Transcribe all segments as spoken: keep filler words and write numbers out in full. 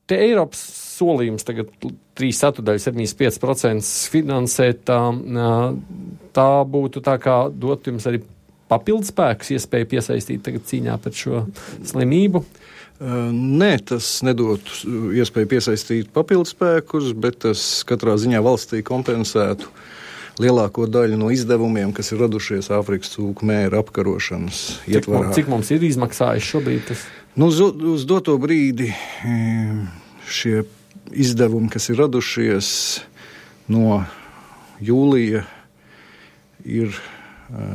te Eiropas solījums tagad trīs ceturdaļas septiņdesmit pieci procenti finansēt, tā, tā būtu tā kā dot jums arī papildus spēkus, iespēju piesaistīt tagad cīņā pret šo slimību? Nē, tas nedot iespēju piesaistīt papildus spēkus, bet tas katrā ziņā valstī kompensētu lielāko daļu no izdevumiem, kas ir radušies Āfrikas cūku mēra apkarošanas ietvarā. Cik mums ir izmaksājis šobrīd tas? Nu, uz, uz doto brīdi šie izdevumi, kas ir radušies no jūlija, ir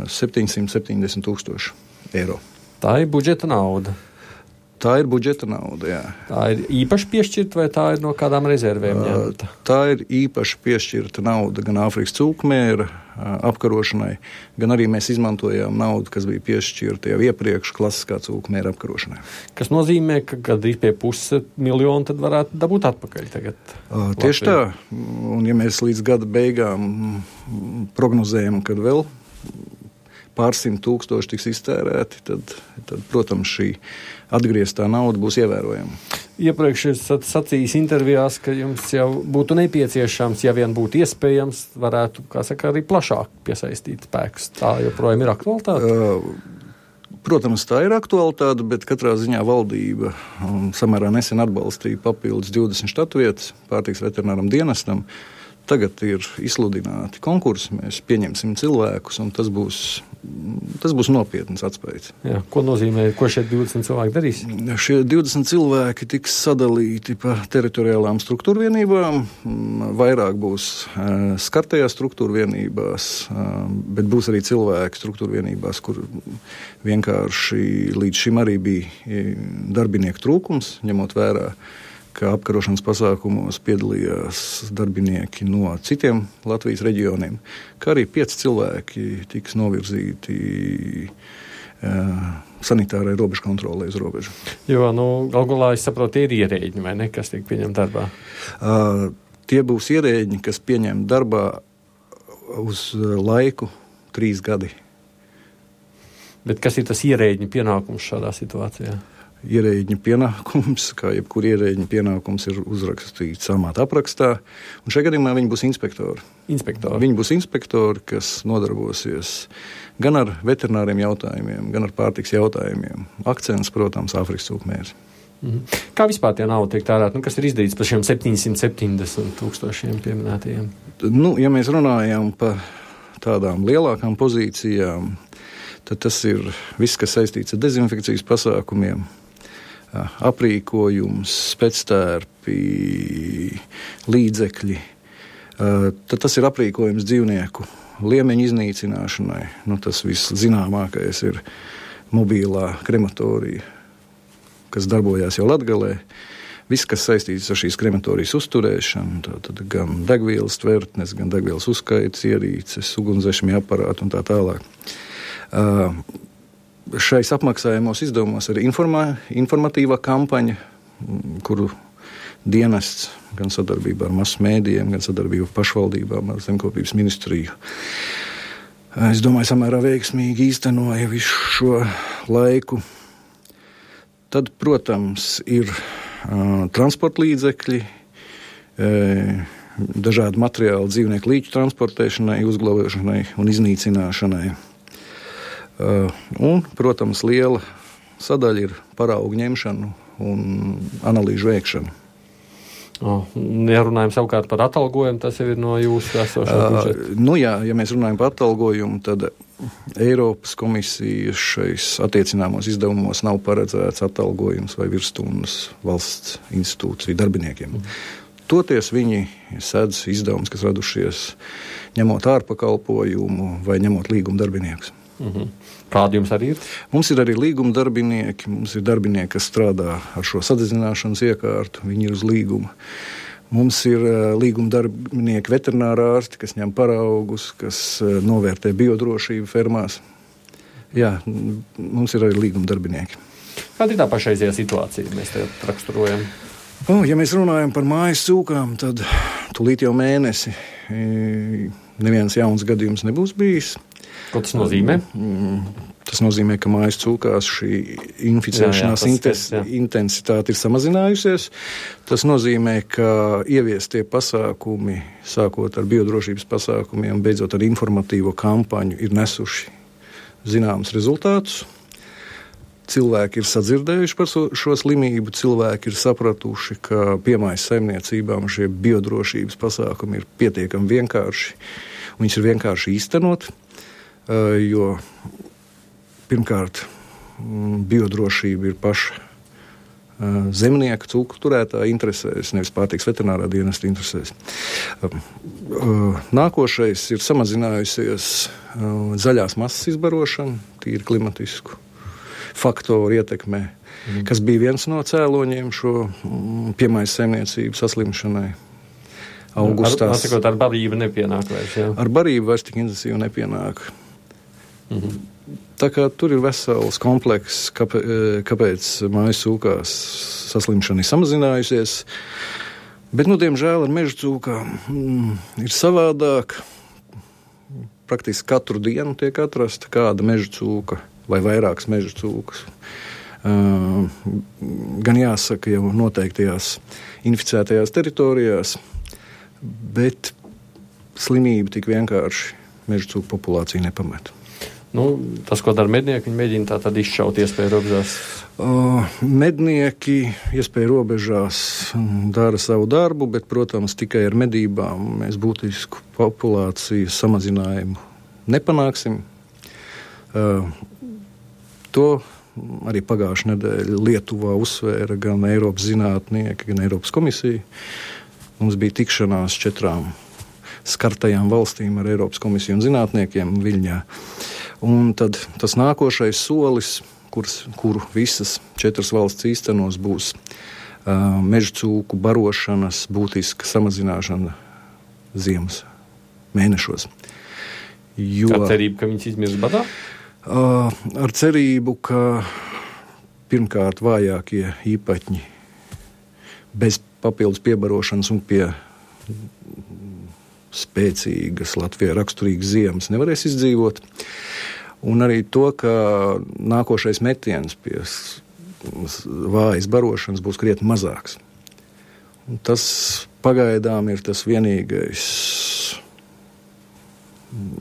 septiņsimt septiņdesmit tūkstoši eiro. Tā ir budžeta nauda. Tā ir budžeta nauda, jā. Tā ir īpaši piešķirta vai tā ir no kādām rezervēm ņemta? Tā ir īpaši piešķirta nauda gan Āfrikas cūkmēra apkarošanai, gan arī mēs izmantojām naudu, kas bija piešķirta jau iepriekš klasiskā cūkmēra apkarošanai. Kas nozīmē, ka gandrīz pie puses miljonu tad varētu dabūt atpakaļ tagad? Tieši tā. Un ja mēs līdz gada beigām prognozējam, kad vēl pārsimt tūkstoši tiks iztērēti, tad, tad, protams, šī atgrieztā nauda būs ievērojama. Iepriekš esat sacījis intervijās, ka jums jau būtu nepieciešams, ja vien būtu iespējams, varētu, kā saka, arī plašāk piesaistīt spēkus. Tā joprojām ir aktualitāte? Uh, protams, tā ir aktualitāte, bet katrā ziņā valdība um, samērā nesen atbalstīja papildus divdesmit štatvietas pārtiks veterināram dienestam. Tagad ir izsludināti konkursi, mēs pieņemsim cilvēkus, un tas būs, tas būs nopietns atspējs. Jā, ko nozīmē, ko šie divdesmit cilvēki darīs? Šie divdesmit cilvēki tiks sadalīti pa teritoriālām struktūrvienībām, vairāk būs uh, skartajās struktūrvienībās, uh, bet būs arī cilvēki struktūrvienībās, kur vienkārši līdz šim arī bija darbinieku trūkums, ņemot vērā, ka apkarošanas pasākumos piedalījās darbinieki no citiem Latvijas reģioniem, kā arī pieci cilvēki tiks novirzīti uh, sanitārai robežu kontrolē uz robežu. Jo, nu, galgulā, es saprotu, tie ir ierēģi, vai ne, kas tiek pieņemt darbā? Uh, tie būs ierēģi, kas pieņem darbā uz laiku trīs gadi. Bet kas ir tas ierēģi pienākums šādā situācijā? Ierēģiņa pienākums, kā jebkur ierēģiņa pienākums, ir uzrakstīts amata aprakstā, un šajā gadījumā viņi būs inspektori. Inspektori. Viņi būs inspektori, kas nodarbosies gan ar veterināriem jautājumiem, gan ar pārtiks jautājumiem. Akcents, protams, Āfrikas cūkmērs. Mhm. Kā vispār tie nauda tiek tērēta? Nu, kas ir izdarīts par šiem septiņsimt septiņdesmit tūkstošiem pieminētajiem? Nu, ja mēs runājam par tādām lielākām pozīcijām, tad tas ir viss, kas saistīts ar dezinfekcijas pasākumiem, aprīkojums, spectērpi, līdzekļi. Tad tas ir aprīkojums dzīvnieku liemeņu iznīcināšanai. Nu, tas viss zināmākais ir mobilā krematorija, kas darbojās jau Latgalē. Viss, kas saistīts ar šīs krematorijas uzturēšanu, tad gan degvielas tvertnes, gan degvielas uzskaites, ierīces, ugunsdzēsmju aparāti un tā tālāk. Uh, Šais apmaksājumos izdevumos ir informā, informatīvā kampaņa, kuru dienests gan sadarbībā ar masu mēdījiem, gan sadarbībā ar pašvaldībām, ar zemkopības ministriju. Es domāju, samērā veiksmīgi īstenoja visu šo laiku. Tad, protams, ir uh, transporta līdzekļi, uh, dažādi materiāli dzīvnieku līķu transportēšanai, uzglabāšanai un iznīcināšanai. Uh, un, protams, liela sadaļa ir paraugu ņemšana un analīžu veikšana. Oh, ja runājam savukārt par atalgojumu, tas jau ir no jūsu esošā budžeta. Uh, nu jā, ja mēs runājam par atalgojumu, tad Eiropas komisijas šais attiecināmos izdevumos nav paredzēts atalgojums vai virsstundas valsts institūciju darbiniekiem. Mm. Toties viņi sedz izdevumus, kas radušies ņemot ārpakalpojumu vai ņemot līguma darbiniekus. Mm-hmm. Kādi jums arī ir? Mums ir arī līguma darbinieki, mums ir darbinieki, kas strādā ar šo sadedzināšanas iekārtu, viņi ir uz līguma. Mums ir uh, līguma darbinieki veterinārā ārsti, kas ņem paraugus, kas uh, novērtē biodrošību fermās. Jā, mums ir arī līguma darbinieki. Kāda ir tā pašreizējā situācija, mēs te raksturojam? Oh, ja mēs runājam par mājas cūkām, tad tūlīt jau mēnesi neviens jauns gadījums nebūs bijis. Ko tas nozīmē? Tas Tas nozīmē, ka mājas cūkās šī inficēšanās jā, jā, tas, tas, intensitāte ir samazinājusies. Tas nozīmē, ka ieviestie pasākumi, sākot ar biodrošības pasākumiem, beidzot ar informatīvo kampaņu, ir nesuši zināmus rezultātus. Cilvēki ir sadzirdējuši par šo slimību, cilvēki ir sapratuši, ka piemājas saimniecībām šie biodrošības pasākumi ir pietiekami vienkārši, un viņš ir vienkārši īstenot, jo pirmkārt biodrošība ir paša zemnieka, cūku turētāja interesēs, nevis pārtiks veterinārā dienesta interesēs. Nākošais ir samazinājusies zaļās masas izbarošana, tīri klimatisku faktoru ietekmē, mm. kas bija viens no cēloņiem šo piemājas saimniecību saslimšanai augustā. Ar, ar, ar barību nepienāk vairs, jā? Ar barību vairs tik intensīvi nepienāk. Mm-hmm. Tā kā tur ir vesels komplekss, kāpēc, kāpēc mājas cūkās saslimšana ir samazinājusies. Bet, nu, diemžēl ar meža cūkām mm, ir savādāk. Praktiski katru dienu tiek atrasta kāda meža cūka vai vairākas meža cūkas. Uh, gan jāsaka jau noteiktajās inficētajās teritorijās, bet slimība tik vienkārši meža cūku populāciju nepamet. Nu, tas, ko dara mednieki, viņi mēģina tā tad izšaut iespēju robežās? Uh, mednieki iespēju robežās dara savu darbu, bet, protams, tikai ar medībām mēs būtisku populācijas samazinājumu nepanāksim. Uh, To arī pagājušajā nedēļā Lietuvā uzsvēra gan Eiropas zinātnieki, gan Eiropas komisija. Mums bija tikšanās četrām skartajām valstīm ar Eiropas komisiju un zinātniekiem Viļņā. Un tad tas nākošais solis, kurs, kuru visas četras valsts īstenos, būs uh, meža cūku barošanas būtiska samazināšana ziemas mēnešos. Jo, ar cerību, ka viņas izmirst badā? Uh, ar cerību, ka pirmkārt vājākie īpaņi bez papildus piebarošanas un pie spēcīgas Latvijai raksturīgas ziemas nevarēs izdzīvot. Un arī to, ka nākošais metiens pie vājas barošanas būs krietni mazāks. Un tas pagaidām ir tas vienīgais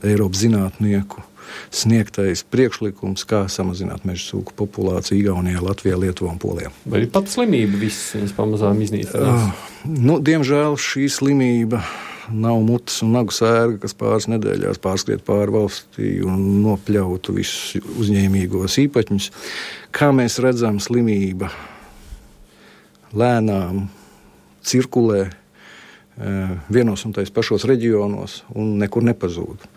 Eiropas zinātnieku sniegtais priekšlikums, kā samazināt meža cūku populāciju Igaunijā, Latvijā, Lietuvā un Polijā. Vai ir pat slimība viss, viņas pamazām iznīcinās? Uh, nu, diemžēl šī slimība nav mutes un nagu sērga, kas pāris nedēļās pārskriet pāri valstī un nopļautu visus uzņēmīgos īpaņus. Kā mēs redzam, slimība lēnām cirkulē uh, vienos un tais pašos reģionos un nekur nepazūd.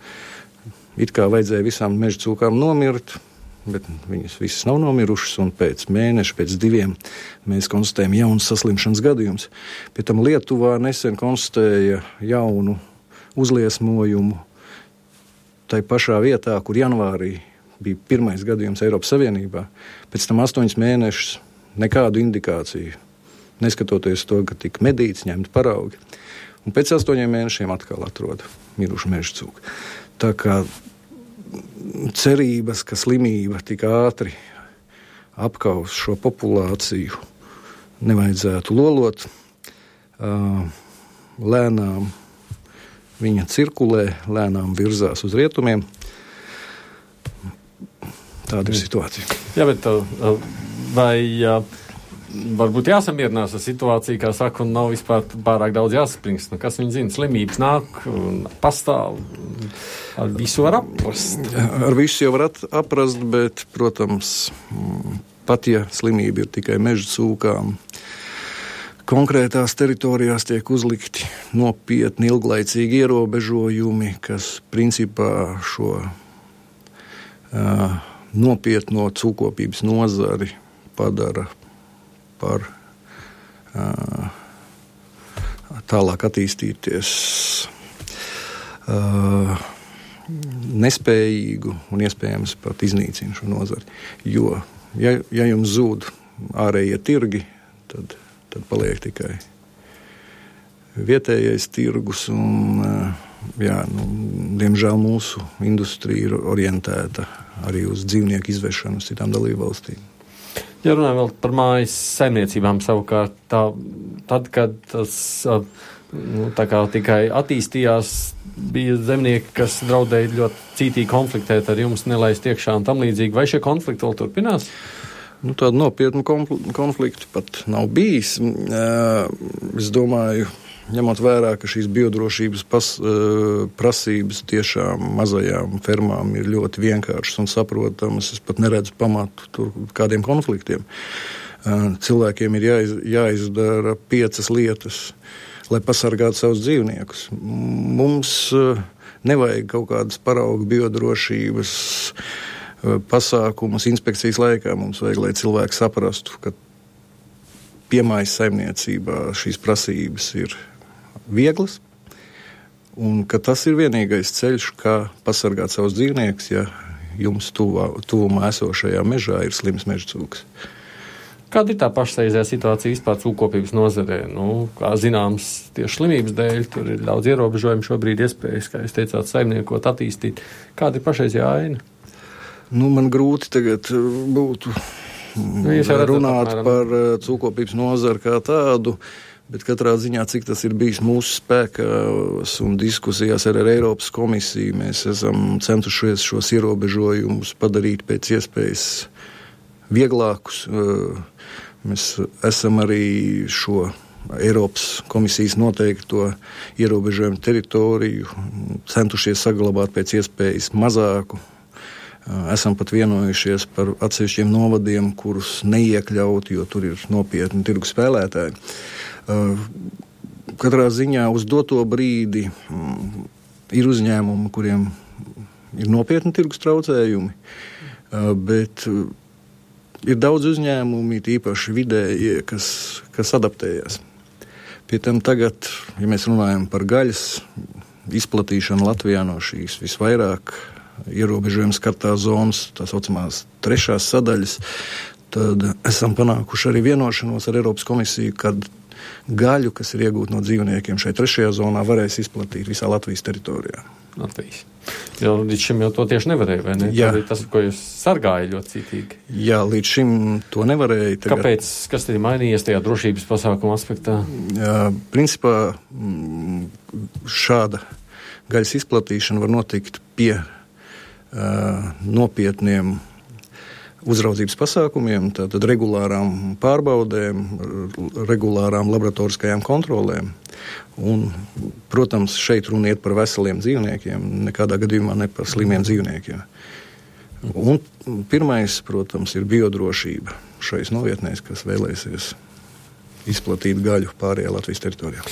It kā vajadzēja visām meža cūkām nomirt, bet viņas visas nav nomirušas, un pēc mēneša, pēc diviem mēs konstatējam jaunas saslimšanas gadījumus. Pie tam Lietuvā nesen konstatēja jaunu uzliesmojumu tai pašā vietā, kur janvārī bija pirmais gadījums Eiropas Savienībā. Pēc tam astoņus mēnešus nekādu indikāciju, neskatoties to, ka tika medīts, ņemt paraugi. Un pēc astoņiem mēnešiem atkal atrod mirušu meža cūku. Tā kā cerības, ka slimība tik ātri apkaus šo populāciju, nevajadzētu lolot. Lēnām viņa cirkulē, lēnām virzās uz rietumiem. Tāda ir situācija. Jā, bet vai varbūt jāsamierinās ar situāciju, kā saka, un nav vispār pārāk daudz jāspringst. Nu, kas viņi zina, slimības nāk un pastāv. Ar visu var aprast. Ar visu jau var aprast, bet, protams, pat ja slimība ir tikai meža cūkām, konkrētās teritorijās tiek uzlikti nopietni ilglaicīgi ierobežojumi, kas principā šo uh, nopietno cūkopības nozari padara par uh, tālāk attīstīties uh, nespējīgu un iespējams pat iznīcina šo nozari. Jo, ja, ja jums zūd ārējie tirgi, tad, tad paliek tikai vietējais tirgus un jā, nu, diemžēl mūsu industrija ir orientēta arī uz dzīvnieku izvešanu uz citām dalībvalstīm. Ja runājam vēl par mājas saimniecībām savukārt, tā, tad, kad tas nu, tā kā tikai attīstījās, bija zemnieki, kas draudēja ļoti cītīgi konfliktēt ar jums, nelaist iekšā un tam līdzīgi. Vai šie konflikti vēl turpinās? Nu, tādu nopietnu konfliktu pat nav bijis. Es domāju, ņemot vērā, ka šīs biodrošības pas, prasības tiešām mazajām fermām ir ļoti vienkāršas un saprotamas, es pat neredzu pamatu tur kādiem konfliktiem. Cilvēkiem ir jāiz, jāizdara piecas lietas, lai pasargātu savus dzīvniekus. Mums nevajag kaut kādas parauga biodrošības pasākumus inspekcijas laikā. Mums vajag, lai cilvēki saprastu, ka piemājas saimniecībā šīs prasības ir vieglas, un ka tas ir vienīgais ceļš, kā pasargāt savus dzīvniekus, ja jums tuvā, tuvumā esošajā mežā ir slims mežcūks. Kāda ir tā pašreizējā situācija vispār cūkopības nozarē? Nu, kā zināms, tieši slimības dēļ tur ir daudz ierobežojumu šobrīd iespējas, kā jūs teicāt, saimniekot, attīstīt. Kāda ir pašreizējā aina? Nu, man grūti tagad būtu nu, runāt apmēram par cūkopības nozaru kā tādu, bet katrā ziņā, cik tas ir bijis mūsu spēkās un diskusijās ar, ar Eiropas komisiju, mēs esam centušies šos ierobežojumus padarīt pēc iespējas vieglākus. Mēs esam arī šo Eiropas komisijas noteikto ierobežojumu teritoriju centušies saglabāt pēc iespējas mazāku. Esam pat vienojušies par atsevišķiem novadiem, kurus neiekļaut, jo tur ir nopietni tirgu spēlētāji. Katrā ziņā uz doto brīdi ir uzņēmumi, kuriem ir nopietni tirgus traucējumi, bet ir daudz uzņēmumi, īpaši vidējie, kas, kas adaptējas. Pie tam tagad, ja mēs runājam par gaļas izplatīšanu Latvijā no šīs visvairāk ierobežojums skartās zonas, tā saucamās trešās sadaļas, tad esam panākuši arī vienošanos ar Eiropas komisiju, kad gaļu, kas ir iegūta no dzīvniekiem šai trešajā zonā, varēs izplatīt visā Latvijas teritorijā. Latvijas. Jo līdz šim jau to tieši nevarēja, vai ne? Jā. Tas, ko jūs sargāja ļoti cītīgi. Jā, līdz šim to nevarēja. Tagad... Kāpēc? Kas tad ir mainījies tajā drošības pasākuma aspektā? Jā, principā šāda gaļas izplatīšana var notikt pie uh, nopietniem uzraudzības pasākumiem, tātad regulārām pārbaudēm, regulārām laboratoriskajām kontrolēm. Un, protams, šeit runa iet par veseliem dzīvniekiem, nekādā gadījumā ne par slimiem dzīvniekiem. Un pirmais, protams, ir biodrošība šais novietnēs, kas vēlēsies izplatīt gaļu pārējā Latvijas teritorijā.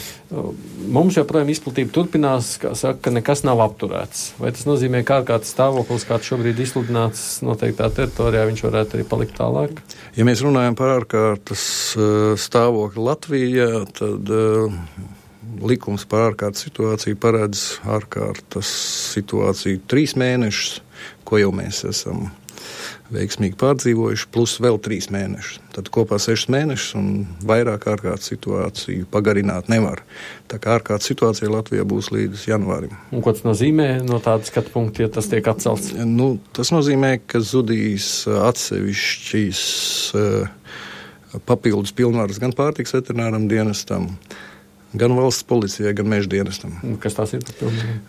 Mums joprojām izplatība turpinās, kā saka, ka nekas nav apturēts. Vai tas nozīmē, ka ārkārtas stāvoklis, kāds šobrīd izsludināts noteiktā teritorijā, viņš varētu arī palikt tālāk? Ja mēs runājam par ārkārtas stāvokli Latvijā, tad uh, likums par ārkārtas situāciju paredz ārkārtas situāciju trīs mēnešus, ko jau mēs esam veiksmīgi pārdzīvojuši, plus vēl trīs mēnešus. Tad kopā sešas mēnešus un vairāk ārkārtas situāciju pagarināt nevar. Tā kā ārkārtas situācija Latvijā būs līdz janvārim. Un ko tas nozīmē no tāda skatu punkta, ja tas tiek atcelts? Nu, tas nozīmē, ka zudīs atsevišķīs uh, papildus pilnvaras gan pārtikas veterināram dienestam, gan valsts policijai, gan meža dienestam. Kas tās ir?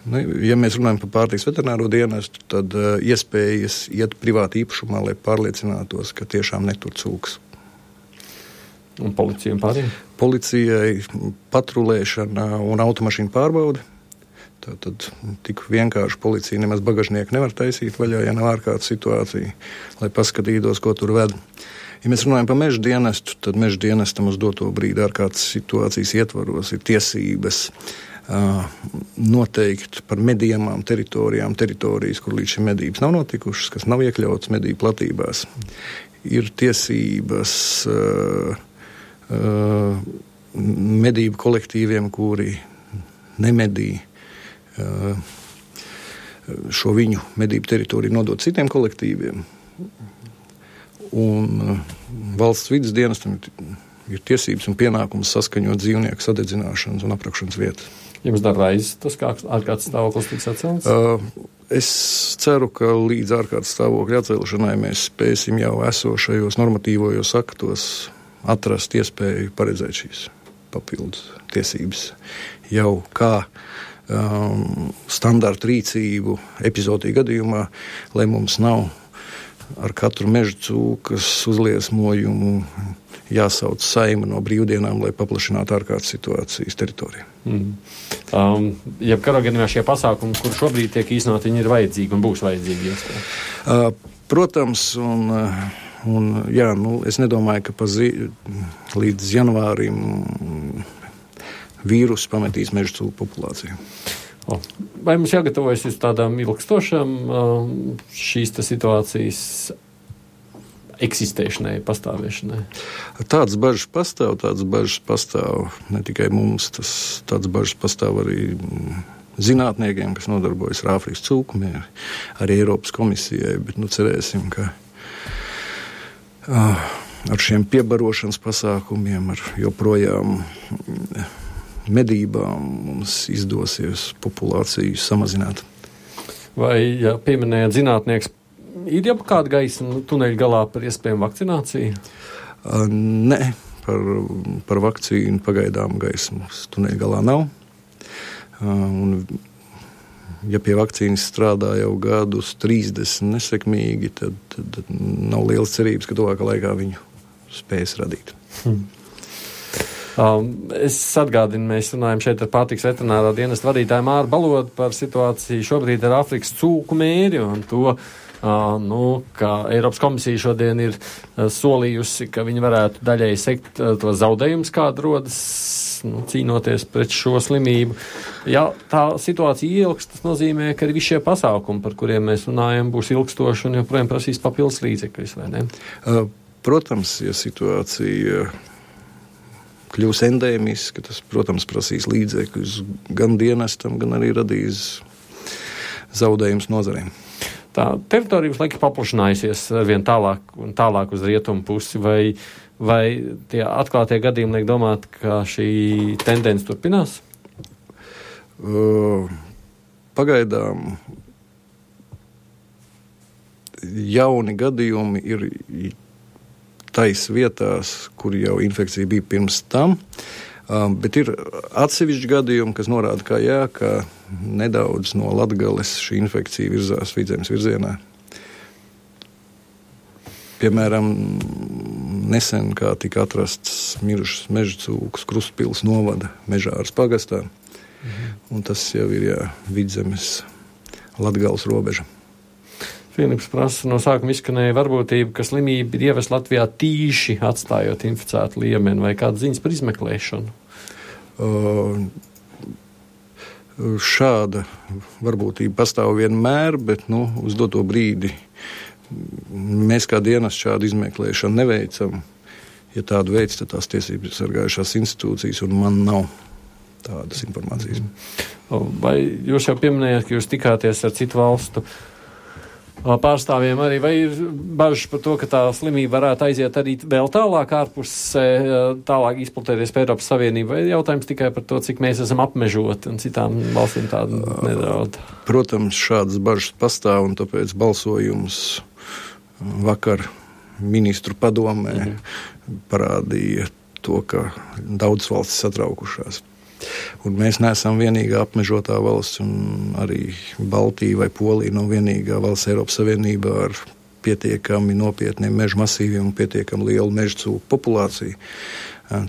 Nu, ja mēs runājam par pārtikas veterināro dienestu, tad uh, iespējas iet privāti īpašumā, lai pārliecinātos, ka tiešām netur cūkas. Un policija un pārējiem? Policijai patrulēšana un automašīnu pārbaude. Tātad tik vienkārši policija nemaz bagažnieku nevar taisīt vaļā, ja nav ārkārtas situācija, lai paskatītos, ko tur ved. Ja mēs runājam par meža dienestu, tad meža dienestam uz doto brīdi ārkārtas situācijas ietvaros ir tiesības uh, noteikt par medījumām teritorijām, teritorijas, kur līdz šim medības nav notikušas, kas nav iekļautas medību platībās. Ir tiesības uh, uh, medību kolektīviem, kuri nemedī uh, šo viņu medību teritoriju nodot citiem kolektīviem. Un uh, valsts vides dienestam ir ir tiesības un pienākums saskaņot dzīvnieku sadedzināšanas un aprakšanas vietas. Jums darreiz tas kā ārkārtas stāvoklis tiks atcelts? Uh, es ceru, ka līdz ārkārtas stāvokļa atcelšanai mēs spēsim jau esošajos normatīvojos aktos atrast iespēju paredzēt šīs papildus tiesības jau kā um, standarta rīcību epizodiju gadījumā, lai mums nav ar katru meža cūkas uzliesmojumu jāsauc saima no brīvdienām, lai paplašinātu ārkārtas situācijas teritoriju. Mm. Um, ja kādā gadījumā šie pasākumi, kur šobrīd tiek īstenot, viņi ir vajadzīgi un būs vajadzīgi? Uh, protams, un, un jā, nu, es nedomāju, ka pa zi, līdz janvārim vīrusu pametīs meža cūku populāciju. O, vai mums jāgatavojas uz tādām ilgstošām um, šīs situācijas eksistēšanai, pastāvēšanai? Tādas bažas pastāv, tādas bažas pastāv ne tikai mums, tas tādas bažas pastāv arī zinātniekiem, kas nodarbojas ar Āfrikas cūkumiem, arī Eiropas komisijai, bet nu cerēsim, ka uh, ar šiem piebarošanas pasākumiem, ar joprojām medībām mums izdosies populāciju samazināt. Vai, ja pieminējāt zinātnieks, ir jau kāda gaisma tuneļa galā par iespējamu vakcināciju? Uh, nē, par, par vakcīnu pagaidām gaismas tuneļa galā nav. Uh, un, ja pie vakcīnas strādā jau gadus trīsdesmit nesekmīgi, tad, tad, tad nav lielas cerības, ka tuvākā laikā viņu spēs radīt. Hmm. Um, es atgādinu, mēs runājam šeit ar pārtiks veterinārā dienesta vadītāju Māru Balodu par situāciju šobrīd ar Āfrikas cūku mēri un to, uh, nu, ka Eiropas komisija šodien ir uh, solījusi, ka viņi varētu daļēji sekt uh, to zaudējumus, kāda rodas, nu, cīnoties pret šo slimību. Ja tā situācija ielgs, tas nozīmē, ka arī visi šie pasākumi, par kuriem mēs runājam, būs ilgstoši un joprojām prasīs papildus līdzekļus, vai ne? Uh, protams, ja situācija kļūs endēmiski, tas, protams, prasīs līdzekļus gan dienestam, gan arī radīs zaudējums nozarēm. Tā teritorija visu laiku paplašinājusies vien tālāk un tālāk uz rietumu pusi, vai, vai tie atklātie gadījumi liek domāt, ka šī tendence turpinās? Uh, pagaidām jauni gadījumi ir tais vietās, kur jau infekcija bija pirms tam, um, bet ir atsevišķi gadījumi, kas norāda, ka jā, ka nedaudz no Latgales šī infekcija virzās Vidzemes virzienā. Piemēram, nesen kā tika atrasts mirušas meža cūkas Krustpils novada Mežāras pagastā, mhm. un tas jau ir jā, Vidzemes Latgales robeža. Filips prasa, no sākuma izskanēja varbūtība, ka slimība ir ievest Latvijā tīši atstājot inficētu liemeni, vai kādas ziņas par izmeklēšanu? Uh, šāda varbūtība pastāv vienmēr, bet nu, uz doto brīdi mēs kā dienas šādu izmeklēšanu neveicam. Ja tādu veids, tad tās tiesības sargājušās institūcijas, un man nav tādas informācijas. Vai jūs jau pieminējāt, ka jūs tikāties ar citu valstu pārstāvjiem arī, vai ir bažas par to, ka tā slimība varētu aiziet arī vēl tālāk ārpus, tālāk izplatēties pie Eiropas Savienību, vai jautājums tikai par to, cik mēs esam apmežoti un citām valstīm tādu nedaudz? Protams, šādas bažas pastāv, un tāpēc balsojums vakar ministru padomē mm-hmm. parādīja to, ka daudz valstis satraukušās. Un mēs neesam vienīgā apmežotā valsts, un arī Baltija vai Polija nav vienīgā valsts Eiropas Savienībā ar pietiekami nopietniem mežu masīviem un pietiekami lielu meža cūku populāciju.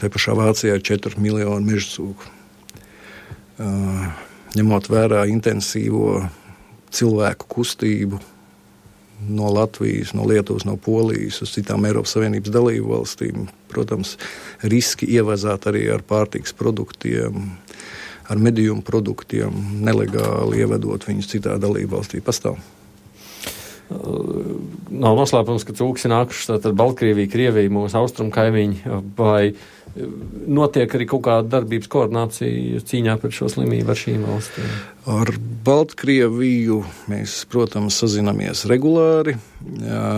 Te pašā Vācijā ir četri miljoni meža cūku. Ņemot vērā intensīvo cilvēku kustību no Latvijas, no Lietuvas, no Polijas uz citām Eiropas Savienības dalību valstīm, protams, riski ievazāt arī ar pārtikas produktiem, ar medījumu produktiem, nelegāli ievedot viņus citā dalību valstī pastāv. Nav noslēpums, ka cūkas ir nākušas tātad Baltkrievija, Krievija, mūsu austrumu kaimiņi, vai notiek arī kaut kāda darbības koordinācija cīņā pret šo slimību ar šīm valstīm? Ar Baltkrieviju mēs, protams, sazinamies regulāri, jā,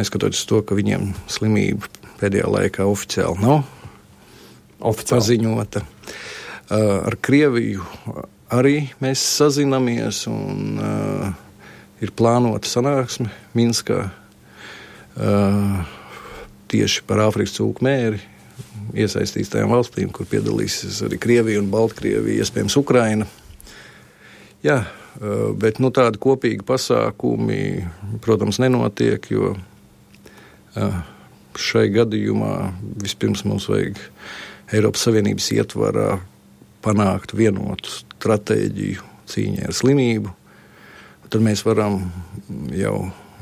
neskatoties to, ka viņiem slimība pēdējā laikā oficiāli nav oficiāli paziņota. Ar Krieviju arī mēs sazinamies un uh, ir plānota sanāksme Minskā uh, tieši par Āfrikas cūku mēri iesaistītajām valstīm, kur piedalīsies arī Krievija un Baltkrievija, iespējams Ukraina. Jā, uh, bet nu, tādi kopīgi pasākumi, protams, nenotiek, jo uh, šai gadījumā vispirms mums vajag Eiropas Savienības ietvarā panākt vienotu stratēģiju cīņai ar slimību. Tad mēs varam jau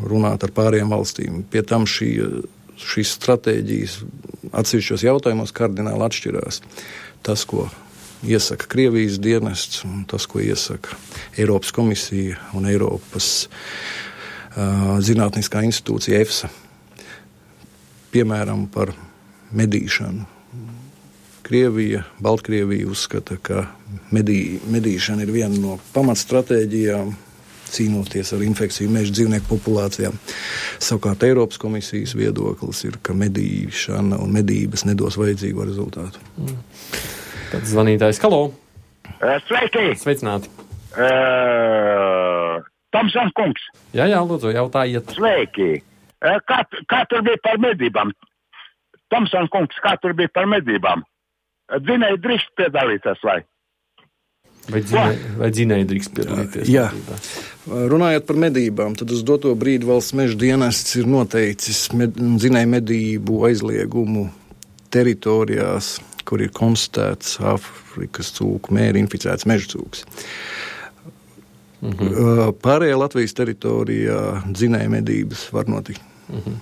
runāt ar pārējām valstīm. Pie tam šī, šīs stratēģijas atsevišķos jautājumos kardināli atšķirās. Tas, ko iesaka Krievijas dienests, un tas, ko iesaka Eiropas komisija un Eiropas uh, zinātniskā institūcija EFSA. Piemēram, par medīšanu. Krievija, Baltkrievija uzskata, ka medī, medīšana ir viena no pamatstratēģijām cīnoties ar infekciju meža dzīvnieku populācijām. Savukārt Eiropas komisijas viedoklis ir, ka medīšana un medības nedos vajadzīgo rezultātu. Mm. Tad zvanītājs, halo! Sveiki! Sveicināti! Uh, Tomson kungs! Jā, jā, lūdzu, jautājiet. Sveiki! Uh, kā, kā tur bija par medībām? Tomson kungs, kā tur bija par medībām? Dzinēji drīkst piedalīties, vai? Vai dzinēji, vai dzinēji drīkst piedalīties? Jā, runājot par medībām, tad uz doto brīdi valsts meža dienests ir noteicis med, dzinēju medību aizliegumu teritorijās, kur ir konstatēts Āfrikas cūku mēri inficēts meža cūks. Mhm. Pārējā Latvijas teritorijā dzinēju medības var notikt. Mhm.